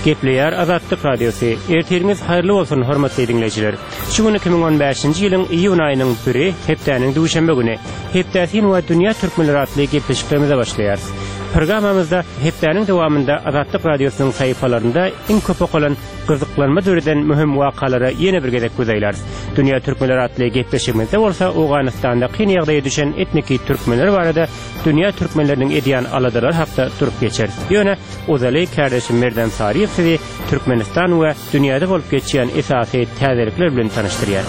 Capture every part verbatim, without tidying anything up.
Gepleýär Azatlyk Radiosy. Ertiriňiz haýyrly bolsun, hormatly diňleýjiler. Şu gün iki müň on bäşinji ýylyň iýun aýynyň biri, hepdäniň duşenbe güni. Hepdäsin we dünýä türkmenleri atly gepleşiklerimize başlaýarys. Programmamyzda hepdäniň dowamynda Azatlyk Radiosynyň sahypalarynda iň köp okalan, gyzyklanma döreden möhüm wakalara ýene bir gezek göz aýlarys. Dünýä türkmenleri atly gepleşigimizde bolsa Owganystanda kyn ýagdaýa düşen etniki türkmenler barada dünýä türkmenleriniň edýän aladalary hakda durup geçeris. Ýöne ozaly kärdeşim Merdan Saryýew sizi Türkmenistan we dünýäde bolup geçýän esasy täzelikler bilen tanyşdyrýar.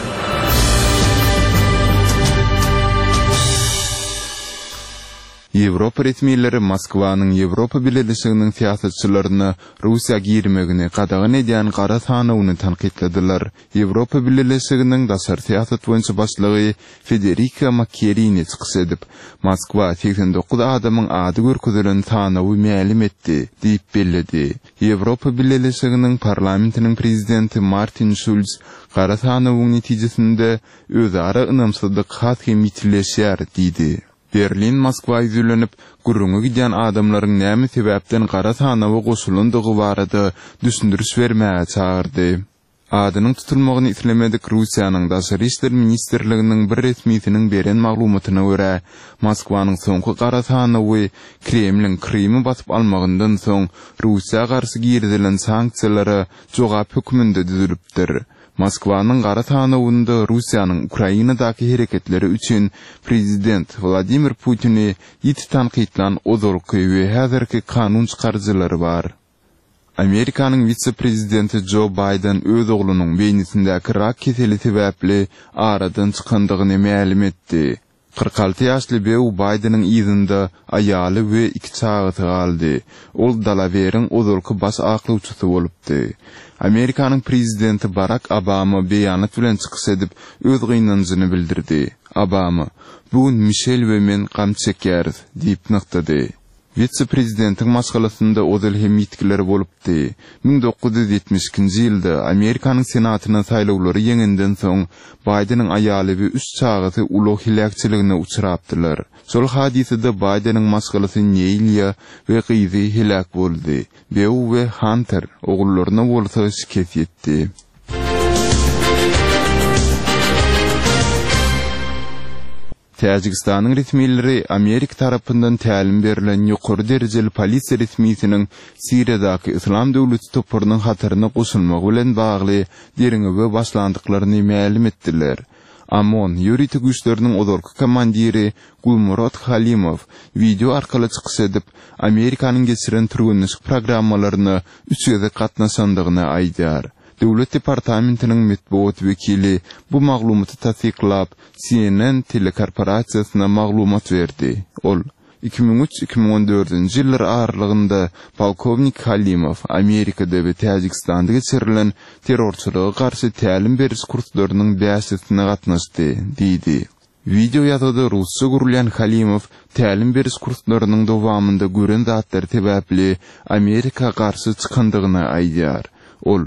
Ýewropa resmileri Moskwanyň Ýewropa Bileleşiginiň syýasatçylaryna Russiýa girmegini gadagan edýän gara sanawyny tankytladylar. Ýewropa Bileleşiginiň daşary syýasat boýunça başlygy Federika Mogherini çykyş edip, Moskwa segsen dokuz adamyň ady görkezilen sanawy mälim etdi diýip belledi. Ýewropa Bileleşiginiň Parlamentiniň prezidenti Martin Şulz gara sanawyň netijesinde özara ynamsyzlyk has hem ýitileşýär diýdi. Berlin Moskwa ýüzlenip, gürrüňi gidýän adamlaryň näme sebäpden gara sanawa goşulandygy barada düşündiriş bermäge çagyrdy. Adynyň tutulmagyny islemedik Russiýanyň Daşary işler ministrliginiň bir resmisiniň beren maglumatyna görä, Moskwanyň soňky gara sanawy Kremliň Krymy basyp almagyndan soň Russiýa garşy girizilen sanksiýalara jogap hökmünde düzülipdir. Moskwanyň gara sanawynda Russiýanyň Ukrainadaky hereketleri üçin prezident Wladimir Putini ýiti tankytlan ozalky we häzirki kanun çykaryjylary bar. Amerikanyň wise-prezidenti Jo Baýden öz oglunyň beýnisindäki rak keseli sebäpli aradan çykandygyny mälim etdi. Kyrk alty ýaşly Beau Baýdeniň yzynda aýaly we iki çagasy galdy. Ol Dalaweriň ozalky baş aklawçysy bolupdy. Amerikanyň prezidenti Barak Obama beýanat bilen çykyş edip, öz gynanjyny bildirdi. Obama, Bu gün Mişel we men gam çekýäris, diýip nygtady. Wise-prezidentiň maşgalasynda ozal hem ýitgiler bolupdy. Müň dokuz ýüz ýetmiş ikinji ýylda Amerikanyň Senatyna saýlawlary ýeňenden soň, Baýdeniň aýaly we üç çagasy ulag heläkçiligine uçrapdylar. Şol hadysada Baýdeniň maşgalasy Neýliýa we gyzy heläk boldy. Beau we Hanter ogullaryna bolsa şikes ýetdi. Täjigistanyň resmileri Amerika tarapyndan tälim berlen ýokary derejeli polisiýa resmisiniň Siriýadaky Yslam döwleti toparynyň hataryna goşulmagy bilen bagly derňewe başlandyklaryny mälim etdiler. OMON ýörite güýçleriniň ozalky komandiri Gulmurod Halimow wideo arkaly çykyş edip, Amerikanyň geçiren türgenleşik programmalaryna üç gezek gatnaşandygyny aýdýar. Döwlet departamentiniň metbugat wekili bu maglumaty tassyklap, C N N telekorporasiýasyna maglumat berdi. Ol, iki müň üç, iki müň on dördünji ýyllar aralygynda polkownik Halimow Amerikada we Täjigistanda geçirilen terrorçylyga garşy tälim beriş kurslarynyň bäşisine gatnaşdy, diýdi. Wideo ýazgyda rusça gürlän Halimow tälim beriş kurslarynyň dowamynda gören zatlary sebäpli Amerika garşy çykandygyny aýdýar. Ol,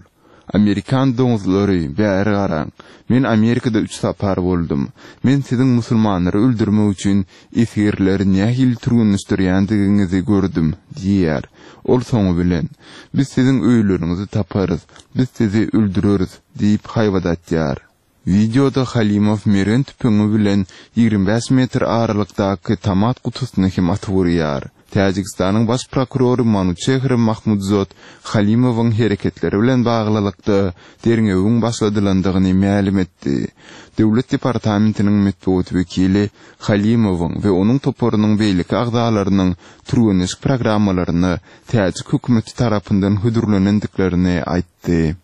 Amerikan doňuzlary, bäri garaň. Men Amerikada üç sapar boldum. Men siziň musulmanlary öldürmek üçin esgerleri nähili türgenleşdirýändigiňizi gördüm, diýýär. Ol soňy bilen, Biz siziň öýleriňizi taparys, biz sizi öldüreris, diýip haýbat atýar. Wideoda Halimow mergen tüpeňi bilen ýigrimi bäş metr aralykdaky tomat gutusyny hem atyp urýar. Täjigistanyň baş prokurory Manuçehr Mahmudzod Halimowyň hereketleri bilen baglylykda derňewiň başladylandygyny mälim etdi. Döwlet departamentiniň metbugat wekili Halimowyň we onuň toparynyň beýleki agzalarynyň türgenleşik programmalaryna täjik hökümeti tarapyndan hödürlenendiklerini aýtdy.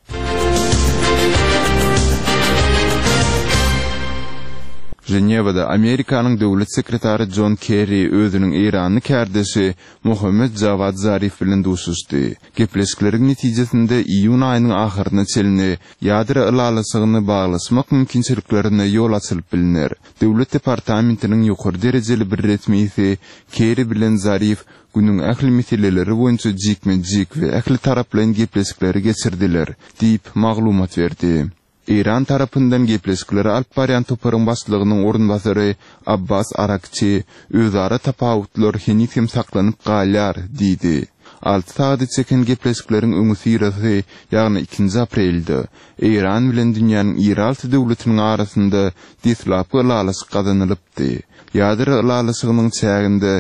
Ženewada Amerikanyň döwlet sekretary Jon Kerri özüniň eýranly kärdeşi Mohammed Jawad Zarif bilen duşuşdy. Gepleşikleriň netijesinde iýun aýynyň ahyryna çenli ýadro ylalaşygyny baglaşmak mümkinçiliklerine ýol açylyp bilner. Döwlet departamentiniň ýokary derejeli bir resmisi Kerri bilen Zarif günüň ähli meseleleri boýunça jikme-jik we ähli taraplaýyn gepleşikleri geçirdiler, diýip, maglumat berdi. Eýran tarapyndan gepleşikleri alyp barýan toparyň başlygynyň orunbasary Abbas Arakçi, Özara tapawutlar heniz hem saklanyp galýar, diýdi. Alty sagada çeken gepleşikleriň öňüsyrasy, ýagny ikinji aprelde, Eýran bilen dünýäniň iri alty döwletiniň arasynda deslapky ylalaşyk gazanylypdy. Ýadro ylalaşygynyň çäginde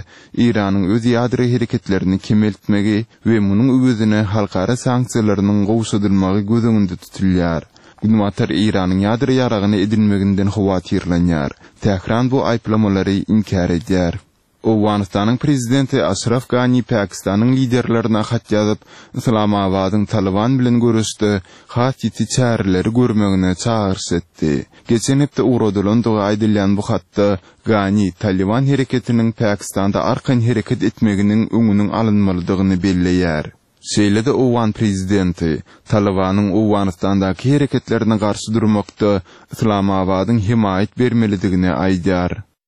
Eýranyň öz ýadro hereketlerini kemeltmegi we munuň öwezine halkara sanksiýalarynyň gowşadylmagy göz öňünde tutulýar. Günbatar Eýranyň ýadro ýaragyny edinmeginden howatyrlanýar. Tähran bu aýyplamalary inkär edýär. Owganystanyň prezidenti Aşraf Gani Pakistanyň liderlerine hat ýazyp, Yslamabadyň Talyban bilen göreşde has ýiti çäreleri görmegine çagyryş etdi. Geçen hepde ugradylandygy aýdylýan bu hatda Gani Talyban hereketiniň Pakistanda arkaýyn hereket etmeginiň öňüniň alynmalydygyny belleýär. Şeýle-de owgan prezidenti Talybanyň Owganystandaky hereketlerine garşy durmakda Yslamabadyň hemaýat bermelidigini aýdýar.